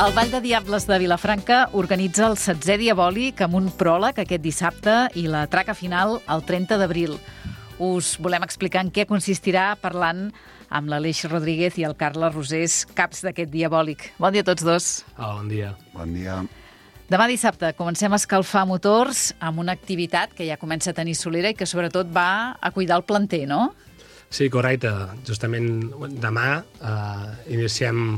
El Ball de Diables de Vilafranca organitza el 16è Diabòlic amb un pròleg aquest dissabte i la traca final el 30 d'abril. Us volem explicar en què consistirà parlant amb l'Aleix Rodríguez i el Carles Rosés, caps d'aquest Diabòlic. Bon dia a tots dos. Bon dia. Bon dia. Demà dissabte comencem a escalfar motors amb una activitat que ja comença a tenir solera i que sobretot va a cuidar el planter, no? Sí, correcte. Justament demà iniciem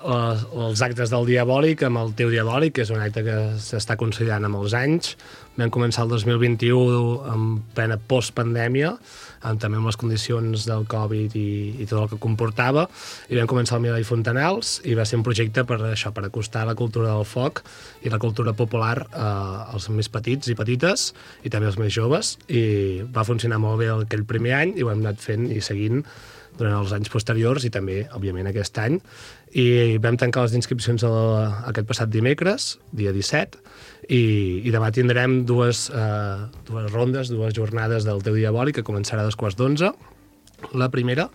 els actes del Diabòlic amb el Teu Diabòlic, que és un acte que s'està consolidant amb els anys. Vam començar el 2021 en plena postpandèmia, també amb les condicions del Covid i tot el que comportava, i vam començar al Milà i Fontanals, i va ser un projecte per acostar la cultura del foc i la cultura popular als més petits i petites, i també als més joves, i va funcionar molt bé aquell primer any, i ho hem anat fent i seguint durant els anys posteriors i també, òbviament, aquest any. I vam tancar les inscripcions aquest passat dimecres, dia 17, i demà tindrem dues rondes, dues jornades del Teu Diabòlic, que començarà a 2:15, la primera,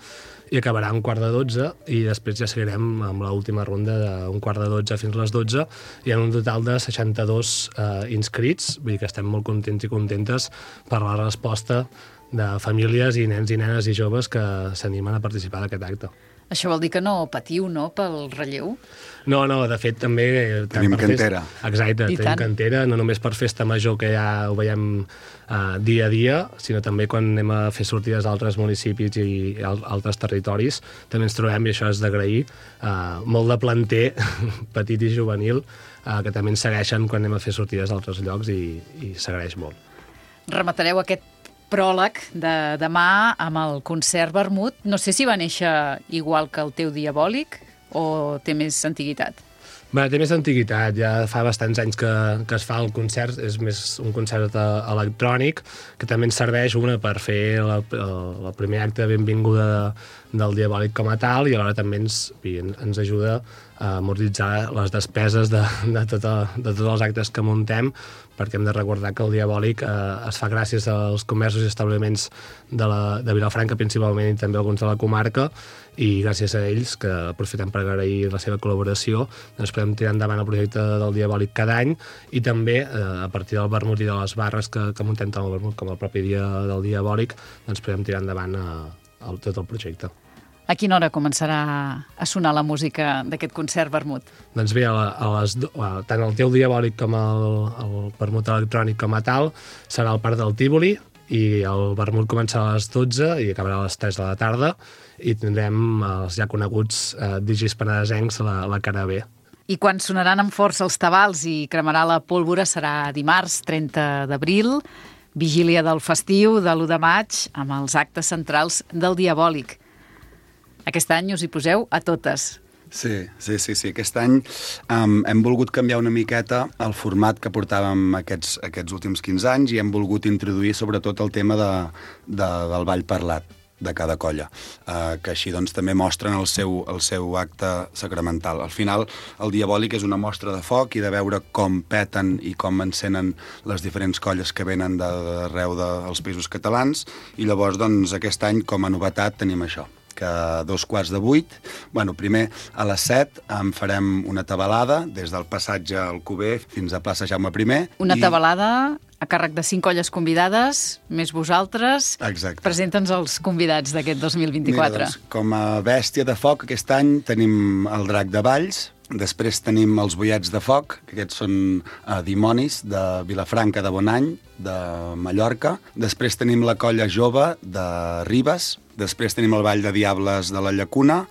i acabarà a 11:45, i després ja seguirem amb l'última ronda de 11:45 fins a les 12. Hi ha un total de 62 inscrits, vull dir que estem molt contents i contentes per la resposta de famílies i nens i nenes i joves que s'animen a participar d'aquest acte. Això vol dir que no patiu, no?, pel relleu? No, de fet també... Tenim cantera. Exacte, tenim cantera, no només per festa major, que ja ho veiem dia a dia, sinó també quan anem a fer sortides a altres municipis i altres territoris, també ens trobem, i això és d'agrair, molt de planter petit i juvenil, que també ens segueixen quan anem a fer sortides a altres llocs, i s'agraeix molt. Rematareu aquest pròleg de demà amb el concert Vermut. No sé si va néixer igual que el Teu Diabòlic o té més antiguitat. Bé, té més antiguitat, ja fa bastants anys que es fa el concert, és més un concert electrònic, que també ens serveix per fer el primer acte de benvinguda del Diabòlic com a tal, i alhora també ens ajuda a amortitzar les despeses de tots els actes que muntem, perquè hem de recordar que el Diabòlic es fa gràcies als comerços i establiments de Vilafranca principalment, i també alguns de la comarca, i gràcies a ells, que aprofitem per agrair la seva col·laboració, doncs podem tirar endavant el projecte del Diabòlic cada any, i també a partir del vermut i de les barres que muntem tant el vermut com el propi dia del Diabòlic, doncs podem tirar endavant tot el projecte. A quina hora començarà a sonar la música d'aquest concert Vermut? Doncs bé, tant el Teu Diabòlic com el vermut electrònic com a tal serà al Parc del Tívoli, i el vermut començarà a les 12 i acabarà a les 3 de la tarda, i tindrem els ja coneguts digis penedesencs a la cara B. I quan sonaran amb força els tabals i cremarà la pólvora serà dimarts 30 d'abril, vigília del festiu de l'1 de maig, amb els actes centrals del Diabòlic. Aquest any us hi poseu a totes. Sí. Aquest any hem volgut canviar una miqueta el format que portàvem aquests últims 15 anys, i hem volgut introduir sobretot el tema del ball parlat de cada colla, que així doncs també mostren el seu acte sacramental. Al final, el Diabòlic és una mostra de foc i de veure com peten i com encenen les diferents colles que venen d'arreu dels països catalans, i llavors doncs aquest any com a novetat tenim això, que a 7:15, primer a les 7 farem una tabalada des del passatge Alcover fins a plaça Jaume I. Una tabalada a càrrec de 5 colles convidades, més vosaltres. Exacte. Presenta'ns els convidats d'aquest 2024. Mira, doncs, com a bèstia de foc aquest any tenim el Drac de Valls, després tenim els Boiets de Foc, que aquests són dimonis de Vilafranca de Bonany, de Mallorca. Després tenim la colla jove de Ribes. Després tenim el Ball de Diables de la Llacuna,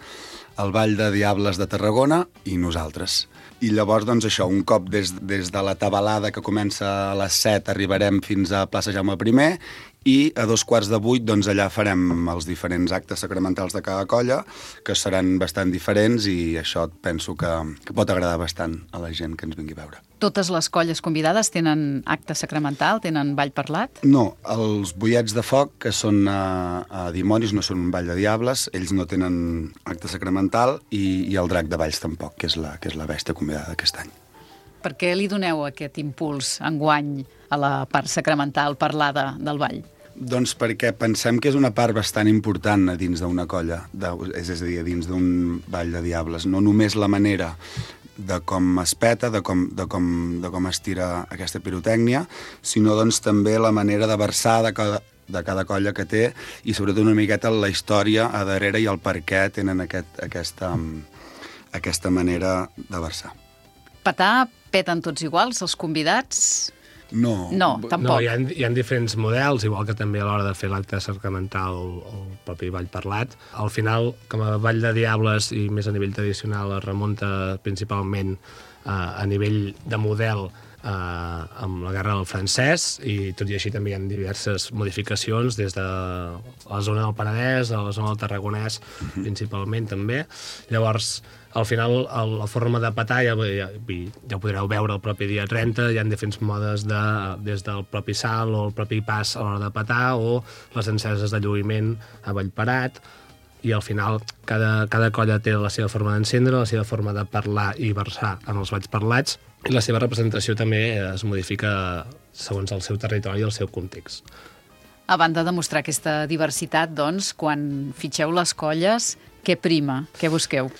el Ball de Diables de Tarragona i nosaltres. I llavors, doncs això, un cop des de la tabalada que comença a les 7 arribarem fins a plaça Jaume I, i a 7:15, doncs allà farem els diferents actes sacramentals de cada colla, que seran bastant diferents, i això penso que pot agradar bastant a la gent que ens vingui a veure. Totes les colles convidades tenen acte sacramental, tenen ball parlat? No, els Boiets de Foc, que són dimonis, no són un ball de diables, ells no tenen acte sacramental, i el Drac de Valls tampoc, que és la bèstia convidada d'aquest any. Per què li doneu aquest impuls enguany a la part sacramental parlada del ball? Doncs perquè pensem que és una part bastant important a dins d'una colla, és a dir, a dins d'un ball de diables. No només la manera de com es peta, de com es tira aquesta pirotècnia, sinó doncs, també la manera de versar de cada colla que té i sobretot una miqueta la història a darrere i el per què tenen aquesta manera de versar. Petar, peten tots iguals, els convidats? No, tampoc. No, hi ha diferents models, igual que també a l'hora de fer l'acte sacramental el propi ball parlat. Al final, com a ball de diables i més a nivell tradicional, es remunta principalment a nivell de model amb la guerra del francès, i tot i així també hi ha diverses modificacions des de la zona del Penedès a la zona del Tarragonès, principalment també. Llavors, al final, la forma de petar ja ho podreu veure el propi dia 30, hi ha diferents modes des del propi salt o el propi pas a l'hora de petar o les enceses de lluïment a Vallparat, i al final cada colla té la seva forma d'encendre, la seva forma de parlar i versar en els balls parlats, i la seva representació també es modifica segons el seu territori i el seu context. A banda de mostrar aquesta diversitat, doncs, quan fitxeu les colles, què prima? Què busqueu?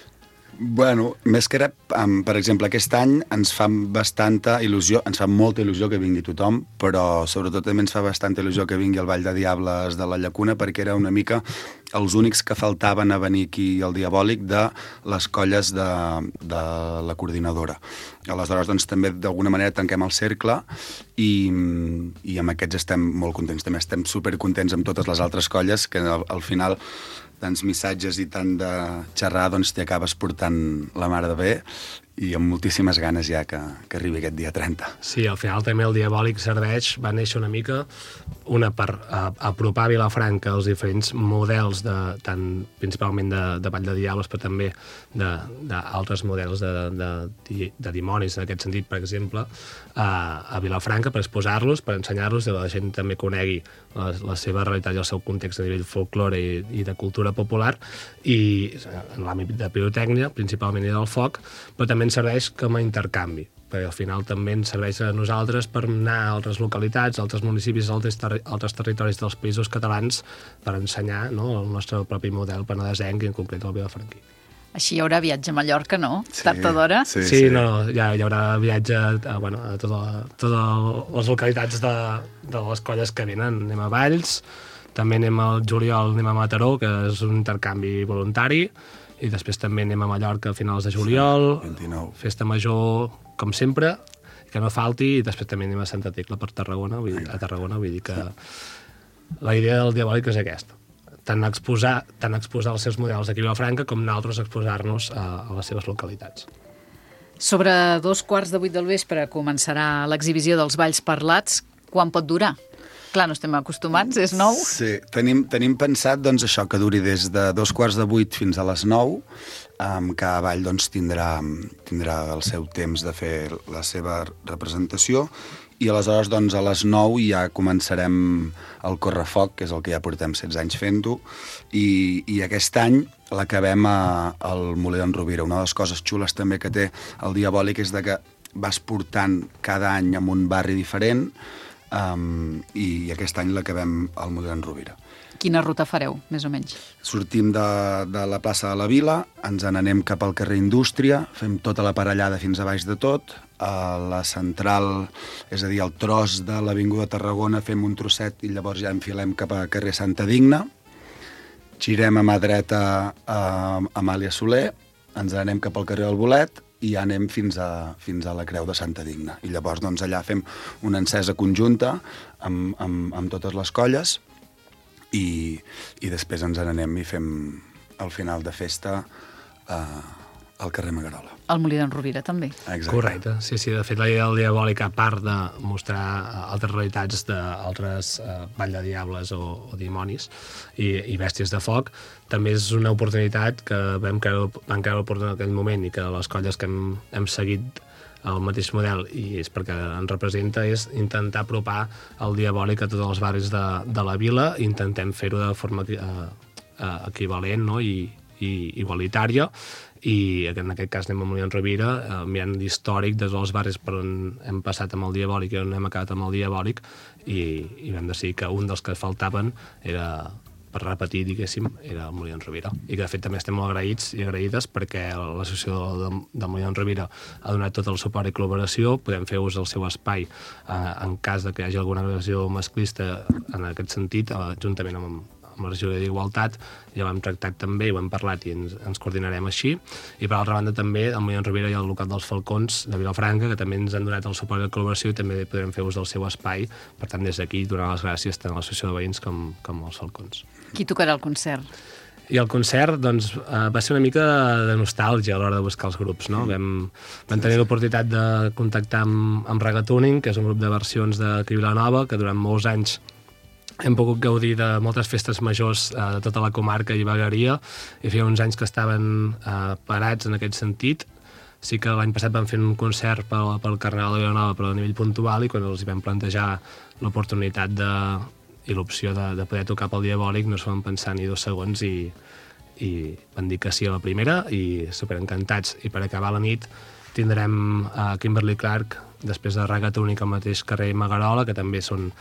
Bueno, més que res, per exemple, aquest any ens fa bastanta il·lusió, ens fa molta il·lusió que vingui tothom, però sobretot també ens fa bastanta il·lusió que vingui el Ball de Diables de la Llacuna, perquè era una mica els únics que faltaven a venir aquí al Diabòlic de les colles de la coordinadora. Aleshores, doncs, també d'alguna manera tanquem el cercle i amb aquests estem molt contents. També estem supercontents amb totes les altres colles, que al final tants missatges i tant de xerrar, doncs t'hi acabes portant la mare de bé, i amb moltíssimes ganes ja que arribi aquest dia 30. Sí, al final també el Diabòlic serveix, va néixer una mica per apropar a Vilafranca els diferents models, tant principalment de Ball de Diables, però també d'altres models de dimonis, en aquest sentit, per exemple, a Vilafranca, per exposar-los, per ensenyar-los, i la gent també conegui la seva realitat i el seu context a nivell folklore i de cultura popular, i en l'àmbit de pirotècnia, principalment, i del foc, però també ens serveix com a intercanvi, perquè al final també ens serveix a nosaltres per anar a altres localitats, a altres municipis, a altres territoris dels països catalans, per ensenyar el nostre propi model penedesenc, i en concret el vilafranquí. Així hi haurà viatge a Mallorca, no? Sí, tard o d'hora? Sí. No, ja hi haurà viatge a totes les localitats de les colles que venen. Anem a Valls, també anem al juliol, anem a Mataró, que és un intercanvi voluntari, i després també anem a Mallorca a finals de juliol, 29. Festa major, com sempre, que no falti, i després també anem a Santa Tecla per Tarragona, vull dir que la idea del Diabòlic és aquesta, tant exposar els seus models aquí a Vilafranca com nosaltres exposar-nos a les seves localitats. Sobre 2:15 del vespre començarà l'exhibició dels balls parlats. Quan pot durar? Clar, no estem acostumats, és nou. Sí, tenim pensat doncs, això, que duri des de 7:15 fins a les 9. Cada ball doncs, tindrà el seu temps de fer la seva representació, i aleshores doncs, a les 9 ja començarem el correfoc, que és el que ja portem 16 anys fent-ho, i aquest any l'acabem al Molí d'en Rovira. Una de les coses xules també que té el Diabòlic és que vas portant cada any en un barri diferent, i aquest any l'acabem al Molí d'en Rovira. Quina ruta fareu, més o menys? Sortim de la plaça de la Vila, ens n'anem cap al carrer Indústria, fem tota la parellada fins a baix de tot, a la central, és a dir, al tros de l'Avinguda Tarragona, fem un trosset i llavors ja enfilem cap a carrer Santa Digna, girem a mà dreta a Amàlia Soler, ens n'anem cap al carrer del Bolet, i ja anem fins a la Creu de Santa Digna. I llavors doncs, allà fem una encesa conjunta amb totes les colles, i després ens n'anem i fem el final de festa al carrer Magarola. Al Molí d'en Rovira, també. Exacte. Correcte, sí. De fet, la idea del Diabòlic, a part de mostrar altres realitats d'altres Ball de Diables o dimonis i bèsties de foc, també és una oportunitat que vam creure oportuna en aquell moment, i que les colles que hem seguit el mateix model, i és perquè ens representa, és intentar apropar el Diabòlic a tots els barris de la vila, i intentem fer-ho de forma equivalent, no? i igualitària, i en aquest cas anem a Molí d'en Rovira, mirant l'històric des dels barris per on hem passat amb el Diabòlic i on hem acabat amb el Diabòlic, i vam decidir que un dels que faltaven era per repetir, diguéssim, era el Molí d'en Rovira. I que, de fet, també estem molt agraïts i agraïdes perquè l'associació del Molí d'en Rovira ha donat tot el suport i col·laboració, podem fer ús del seu espai en cas de que hi hagi alguna agressió masclista en aquest sentit, juntament amb la regió d'Igualtat, ja ho hem tractat també, ho hem parlat i ens coordinarem així. I per altra banda també, al Molí d'en Rovira hi ha el local dels Falcons de Vilafranca, que també ens han donat el suport i la col·laboració i també podrem fer ús del seu espai. Per tant, des d'aquí, donar les gràcies tant a l'associació de veïns com als Falcons. Qui tocarà el concert? I el concert doncs, va ser una mica de nostàlgia a l'hora de buscar els grups. No? Vam tenir l'oportunitat de contactar amb Regatuning, que és un grup de versions d'aquí Vilanova, que durant molts anys hem pogut gaudir de moltes festes majors de tota la comarca i vegueria, i feia uns anys que estaven parats en aquest sentit. Sí que l'any passat vam fer un concert pel Carnaval de Vilanova, però a nivell puntual, i quan els hi vam plantejar l'oportunitat i l'opció de poder tocar pel Diabòlic, no s'ho van pensar ni 2 segons i van dir que sí a la primera, i superencantats. I per acabar la nit tindrem Kimberly Clark, després de Regatuning al mateix carrer Magarola, que també són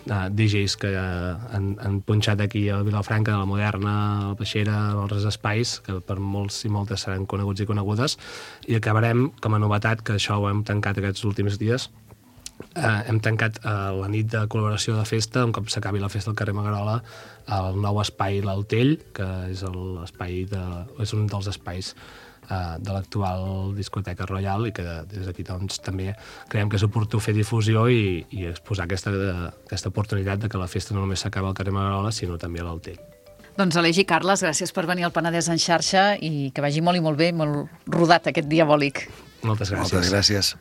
DJs que han punxat aquí a Vilafranca, a la Moderna, a la Peixera, a altres espais, que per molts i moltes seran coneguts i conegudes, i acabarem, com a novetat, que això ho hem tancat aquests últims dies, hem tancat la nit de col·laboració de festa, un cop s'acabi la festa al carrer Magarola, el nou espai l'Altell, que és un dels espais de l'actual discoteca Royal, i que des d'aquí doncs, també creiem que és oportú fer difusió i exposar aquesta oportunitat de que la festa no només s'acaba al carrer Magarola, sinó també a l'Altell. Doncs Aleix i Carles, gràcies per venir al Penedès en xarxa i que vagi molt i molt bé, molt rodat aquest Diabòlic. Moltes gràcies. Moltes gràcies.